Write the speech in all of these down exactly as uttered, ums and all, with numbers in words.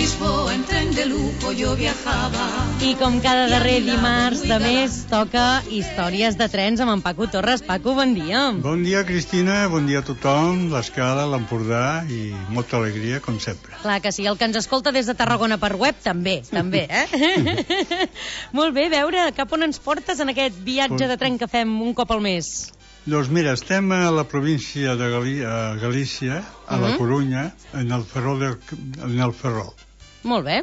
Lisboa en tren de lujo yo viajaba. I com cada darrer dimarts de mes toca històries de trens amb en Paco Torres. Paco, bon dia. Bon dia, Cristina, bon dia a tothom, l'Escala, l'Empordà i molta alegria, com sempre. Clar que sí, el que ens escolta des de Tarragona per web també, també, eh? Molt bé, veure cap on ens portes en aquest viatge de tren que fem un cop al mes. Doncs mira, estem a la província de Galí a Galícia, a la Corunya, en el Ferrol. De, en el Ferrol. Molt bé.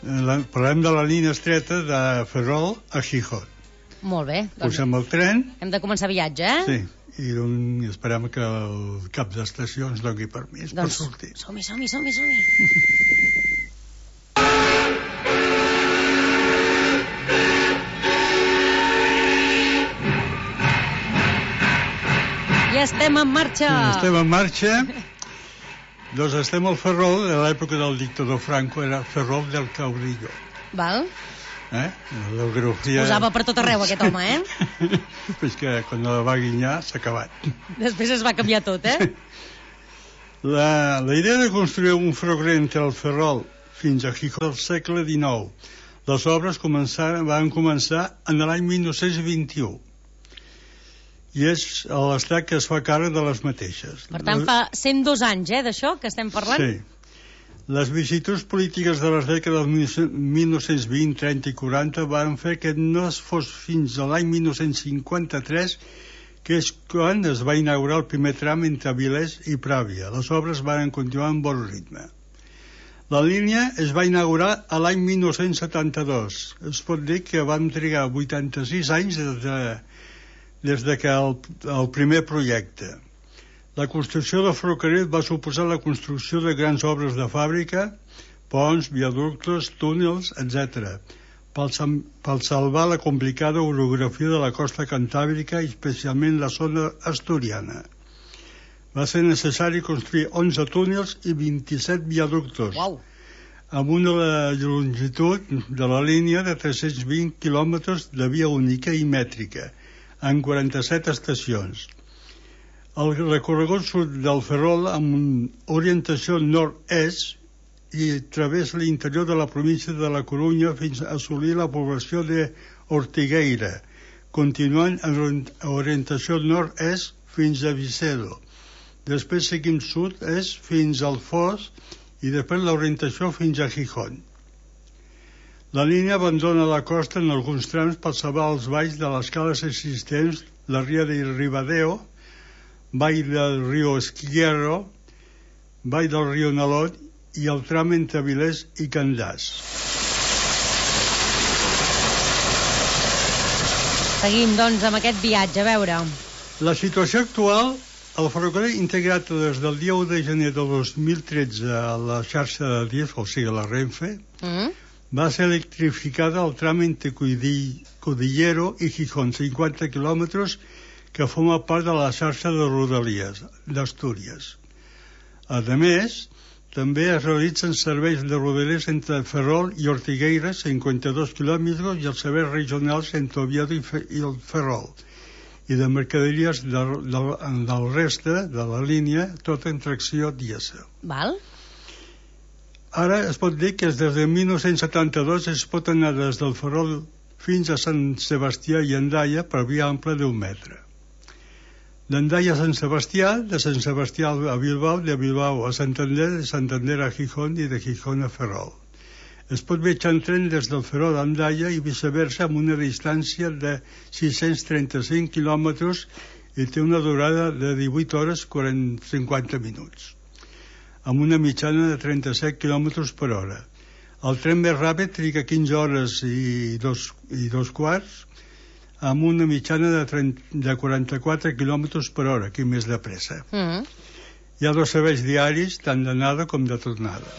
La, parlem de la línia estreta de Ferrol a Gijón. Molt bé. Doncs posem el tren. Hem de començar viatge, eh? Sí, i doncs, esperem que el cap d'estació ens doni permís doncs, per sortir. Som-hi, som-hi, som-hi, som-hi. Ja estem en marxa. Estem en marxa. Doncs estem al Ferrol, de l'època del dictador Franco, era Ferrol del Caudillo. Val. Eh? La geografia... Posava per tot arreu aquest home, eh? Pues que quan la va guinyar s'ha acabat. Després es va canviar tot, eh? La, la idea de construir un ferrocarril entre el Ferrol fins a Gijón del segle dinou. Les obres van començar en l'any mil nou-cents vint-i-u. I és l'estat que es fa càrrec de les mateixes. Per tant, fa cent dos anys, eh, d'això que estem parlant? Sí. Les vicissituds polítiques de les dècades mil nou-cents vint, trenta i quaranta van fer que no es fos fins a l'any mil nou-cents cinquanta-tres, que és quan es va inaugurar el primer tram entre Avilés i Pràvia. Les obres van continuar amb bon ritme. La línia es va inaugurar a l'any mil nou-cents setanta-dos. Es pot dir que vam trigar vuitanta-sis anys des de des de que el, el primer projecte. La construcció del ferrocarril va suposar la construcció de grans obres de fàbrica, ponts, viaductes, túnels, etcètera, per, per salvar la complicada orografia de la costa cantàbrica i especialment la zona asturiana. Va ser necessari construir onze túnels i vint-i-set viaductos, wow, amb una longitud de la línia de tres-cents vint quilòmetres de via única i mètrica, en quaranta-set estacions. El recorregut surt del Ferrol amb orientació nord-est i travessa l'interior de la província de la Corunya fins a assolir la població d'Ortigueira, continuant en orientació nord-est fins a Vicedo. Després seguim sud-est fins al Foix i després l'orientació fins a Gijón. La línia abandona la costa en alguns trams per salvar els valls de les cales existents, la ria de Ribadeo, vall del riu Esquierro, vall del riu Nalot i el tram entre Avilés i Candàs. Seguim, doncs, amb aquest viatge, a veure. La situació actual, el ferrocarril integrat des del dia u de gener de dos mil tretze a la xarxa de D I F, o sigui, la Renfe, mm. va ser electrificada al tram entre Cudillero i Gijón, cinquanta quilòmetres, que forma part de la xarxa de Rodalies d'Astúries. A més, també es realitzen serveis de Rodalies entre Ferrol i Ortigueira, cinquanta-dos quilòmetres, i els serveis regionals entre Oviedo i el Ferrol, i de mercaderies de, de, del reste de la línia, tot en tracció dièsel. Val? Ara es pot dir que des de mil nou-cents setanta-dos es pot anar des del Ferrol fins a Sant Sebastià i Hendaia per via ampla d'un metre. D'Hendaia a Sant Sebastià, de Sant Sebastià a Bilbao, de Bilbao a Santander, de Santander a Gijón i de Gijón a Ferrol. Es pot viatjar en tren des del Ferrol a Hendaia i viceversa amb una distància de sis-cents trenta-cinc quilòmetres i té una durada de divuit hores cinquanta minuts, amb una mitjana de trenta-set quilòmetres per hora. El tren més ràpid triga quinze hores i dos, i dos quarts, amb una mitjana de, trenta, de quaranta-quatre quilòmetres per hora, aquí més de pressa. Mm-hmm. Hi ha dos serveis diaris, tant d'anada com de tornada.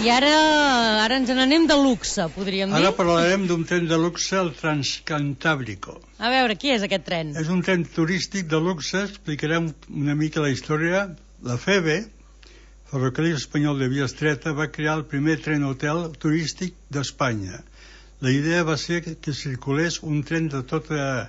I ara, ara ens n'anem de luxe, podríem dir. Ara parlarem d'un tren de luxe, el Transcantàbrico. A veure, qui és aquest tren? És un tren turístic de luxe, explicarem una mica la història. La F E B, Ferrocarril Espanyol de Via Estreta, va crear el primer tren hotel turístic d'Espanya. La idea va ser que circulés un tren de tota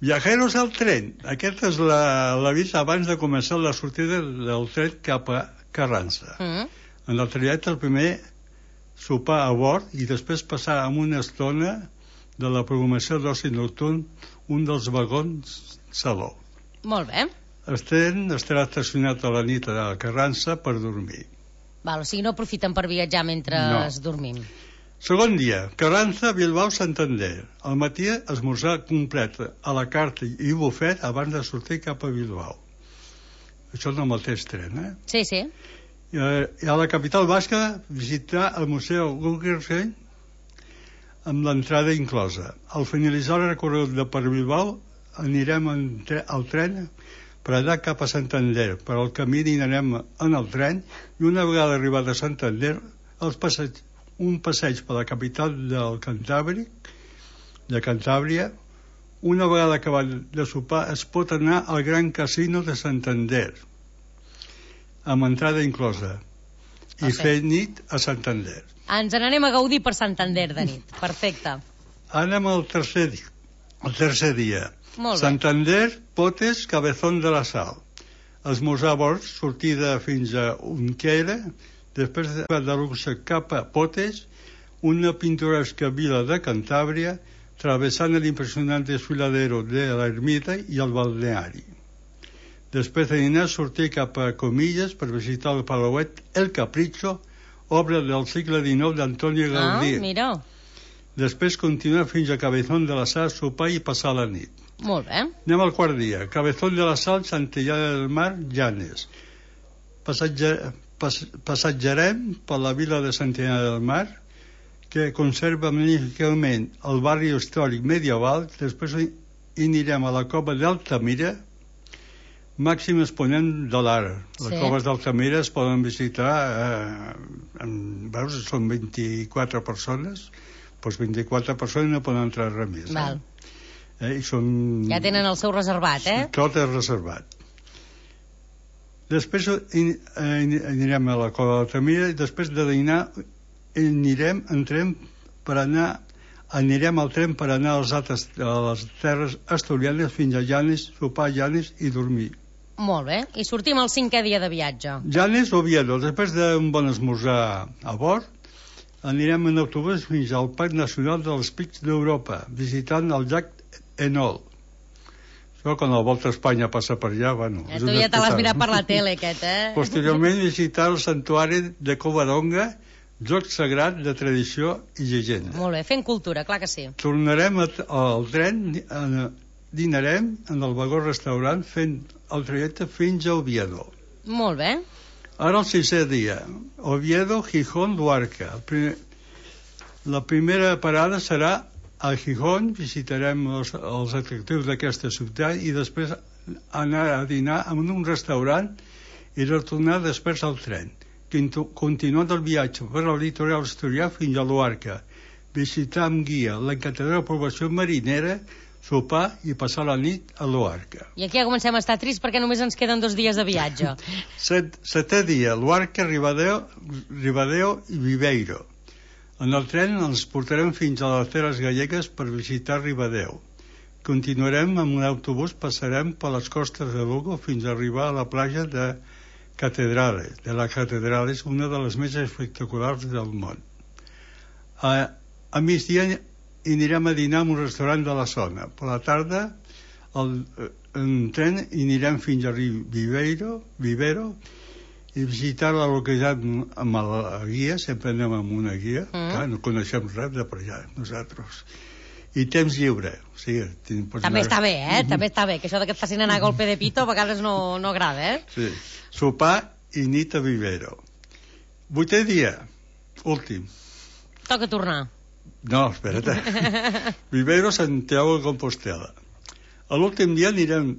Viajeros al tren. Aquest és la- l'avís abans de començar la sortida del tren cap a Carranza. Mm. En el trajecte, el primer sopar a bord i després passar amb una estona de la programació d'oci nocturn un dels vagons saló. Molt bé. El tren estarà estacionat a la nit a Carranza per dormir. Val, o sigui, no aprofiten per viatjar mentre No. dormim. Segon dia, Carranza, Bilbao, Santander. Al matí, esmorzar complet a la carta i bufet abans de sortir cap a Bilbao. Això en el mateix tren, eh? Sí, sí. I a la capital basca, visitar el Museu Guggenheim amb l'entrada inclosa. Al finalitzar el recorregut de per Bilbao, anirem en tre al tren per anar cap a Santander. Per al camí dinarem en el tren i una vegada arribat a Santander, els passeig, un passeig per la capital del Cantàbric, de Cantàbria. Una vegada acabat de sopar, es pot anar al Gran Casino de Santander, amb entrada inclosa, i Perfecte. fer nit a Santander. Ens n'anem a gaudir per Santander de nit. Perfecte. Anem al tercer, di el tercer dia. Molt bé. Santander, Potes, Cabezón de la Sal. Esmorzar a bord, sortida fins a Unquera, després de de luxe cap a Potes, una pintoresca vila de Cantàbria, travessant l'impressionant desfiladero de l'ermita i el balneari. Després de dinar, sortir cap a Comillas per visitar el Palauet El Capricho, obra del segle dinou d'Antonio Gaudí. Ah, mira. Després continuar fins a Cabezón de la Sal, sopar i passar la nit. Molt bé. Anem al quart dia. Cabezón de la Sal, Santillana del Mar, Llanes. Passatge, pas, passatgerem per la vila de Santillana del Mar, que conserva magníficament el barri històric medieval. Després hi anirem a la cova d'Altamira, màxim exponent de l'art. Les Sí. coves d'Altamira es poden visitar, eh, en, veus, són vint-i-quatre persones, doncs vint-i-quatre persones no poden entrar res més. Val. Eh? I són... Ja tenen el seu reservat, eh? Tot és reservat. Després in, eh, anirem a la cova d'Altamira i després de dinar anirem, entrem per anar anirem al tren per anar als altres, a les terres asturianes fins a Llanes, sopar a Llanes i dormir. Molt bé. I sortim el cinquè dia de viatge. Llanes, Oviedo. Després d'un bon esmorzar a bord, anirem en autobús fins al Parc Nacional dels Pics d'Europa, visitant el llac Enol. Això, quan la Volta a Espanya passa per allà, bueno... Eh, és tu un ja te l'has espectacle. mirat per la tele, aquest, eh? Posteriorment, visitar el santuari de Covadonga, joc sagrat de tradició i llegenda. Molt bé, fent cultura, clar que sí. Tornarem a, al tren, eh, dinarem en el vagó restaurant fent el trajecte fins a Oviedo. Molt bé. Ara el sisè dia, Oviedo, Gijón, Luarca. El primer, la primera parada serà a Gijón, visitarem els, els atractius d'aquesta ciutat i després anar a dinar en un restaurant i retornar després al tren. Continuant el viatge per al litoral asturià fins a Luarca, visitar amb guia l'encantadora població marinera, sopar i passar la nit a Luarca. I aquí ja comencem a estar trist perquè només ens queden dos dies de viatge. Set, setè dia, Luarca, Ribadeo, Ribadeo i Viveiro. En el tren ens portarem fins a les Terres Gallegues per visitar Ribadeo. Continuarem amb un autobús, passarem per les costes de Lugo fins a arribar a la platja de Catedrales, de la Catedrales, una de les més espectaculars del món. A, a migdia anirem a dinar en un restaurant de la zona. Per la tarda, el, en tren anirem fins a Viveiro, Vivero i visitar la localitat amb la guia, sempre anem amb una guia, mm. clar, no coneixem res de per allà, nosaltres. I temps lliure. O sigui, també anar... està bé, eh? També està bé, que això que et facin anar a golpe de pito a vegades no, no agrada, eh? Sí. Sopar i nit a Vivero. Vuitè dia, últim. Toca tornar. No, espera't. Vivero, Santiago de Compostela. A l'últim dia anirem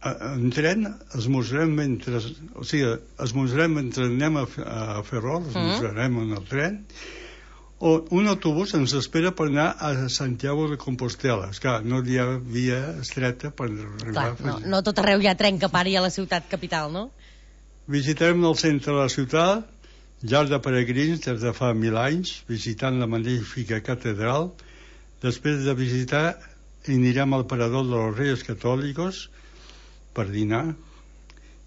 en tren, esmorzarem mentre... O sigui, esmorzarem mentre anem a, a Ferrol, esmorzarem mm. en el tren, o un autobús ens espera per anar a Santiago de Compostela. Esclar, no hi ha via estreta per arribar... Clar, no, no tot arreu hi ha tren que pari a la ciutat capital, no? Visitarem el centre de la ciutat, llar de peregrins des de fa mil anys, visitant la magnífica catedral. Després de visitar i anirem al parador de los Reyes Católicos per dinar,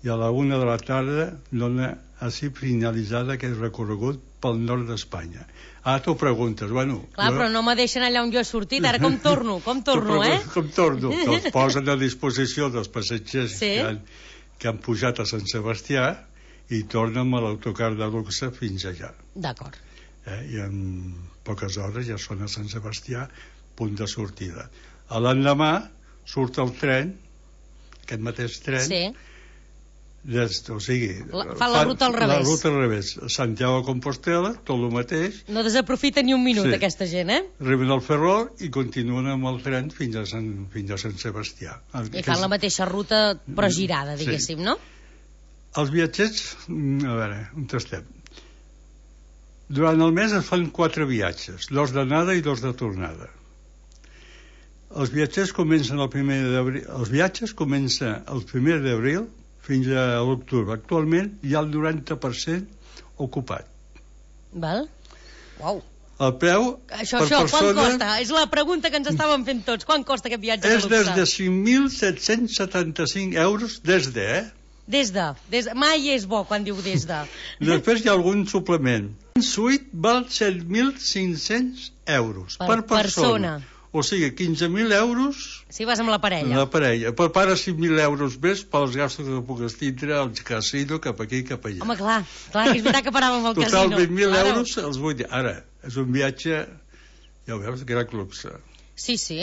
i a la una de la tarda dona així finalitzada aquest recorregut pel nord d'Espanya. Ah, tu preguntes, bueno... Clar, jo... però no me deixen allà on jo he sortit, ara com torno, com torno, eh? Com torno? Els posen a disposició dels passatgers sí. que, han, que han pujat a Sant Sebastià i tornen amb l'autocar de luxe fins allà. D'acord. Eh? I en poques hores ja són a Sant Sebastià, punt de sortida. A l'endemà surt el tren, aquest mateix tren, sí. des, o sigui... La, fa la ruta al revés. La ruta al revés. Santiago de Compostela, tot el mateix. No desaprofita ni un minut, sí. aquesta gent, eh? Arriben al Ferrol i continuen amb el tren fins a Sant, fins a Sant Sebastià. I fan la mateixa ruta, però girada, diguéssim, sí. no? Els viatgers, a veure, on estem? Durant el mes es fan quatre viatges, dos d'anada i dos de tornada. Els viatgers comencen el primer d'abril, els viatges comencen el primer d'abril fins a l'octubre. Actualment hi ha el noranta per cent ocupat. Val? Uau. El preu això, per això, persona... Quant costa? És la pregunta que ens estàvem fent tots. Quant costa aquest viatge de luxe? És des de cinc mil set-cents setanta-cinc euros des de, eh? Des de, des de. Mai és bo quan diu des de. Després hi ha algun suplement. Un suite val set mil cinc-cents euros per, per persona. persona. O sigui, quinze mil euros... Si vas amb la parella. La parella. Per part, cinc mil euros més pels gastos que puguis tindre al casino cap aquí i cap allà. Home, clar, clar, que és veritat que paràvem al Total, casino. Total, vint mil euros els vull dir. Ara, és un viatge, ja ho veus, gran luxe. Sí, sí.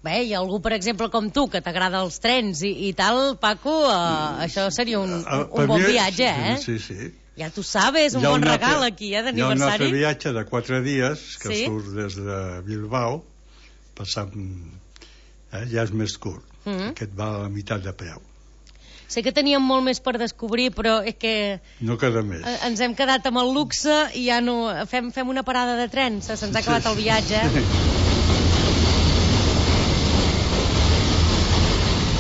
Bé, hi ha algú, per exemple, com tu, que t'agrada els trens i, i tal, Paco, uh, això seria un, un, un bon viatge, eh? Sí, sí. Ja tu sabes, un bon regal aquí, eh, d'aniversari. Hi ha un altre viatge de quatre dies que sí? surt des de Bilbao, passant, eh, ja és més curt. Mm-hmm. Aquest va a la meitat de preu. Sé que teníem molt més per descobrir, però és que... No queda més. Ens hem quedat amb el luxe i ja no... Fem, fem una parada de tren, se'ns ha acabat sí. el viatge.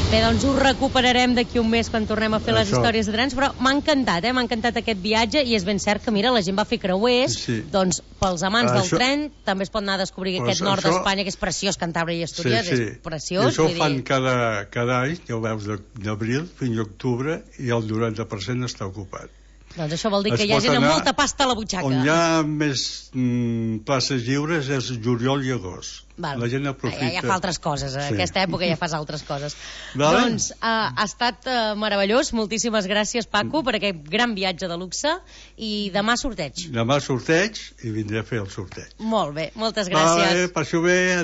Bé, doncs ho recuperarem d'aquí un mes quan tornem a fer Això. les històries de trens, però m'ha encantat, eh? M'ha encantat aquest viatge i és ben cert que, mira, la gent va fer creuers, sí. doncs pels amants Això... del tren també es pot anar a descobrir pues aquest nord això... d'Espanya, que és preciós, Cantàbria i Astúries, sí, sí. és preciós. I això ho fan dir... cada, cada any, ja ho veus, d'abril fins a octubre, i el noranta per cent està ocupat. Doncs això vol dir es que hi ha gent amb molta pasta a la butxaca. On hi ha més mm, places lliures és juliol i agost. Val. La gent aprofita. Ja, ja fa altres coses, a sí. aquesta època ja fas altres coses. Vale. Doncs uh, ha estat uh, meravellós, moltíssimes gràcies, Paco, per aquest gran viatge de luxe, i demà sorteig. Demà sorteig i vindré a fer el sorteig. Molt bé, moltes gràcies. Vale, passo bé.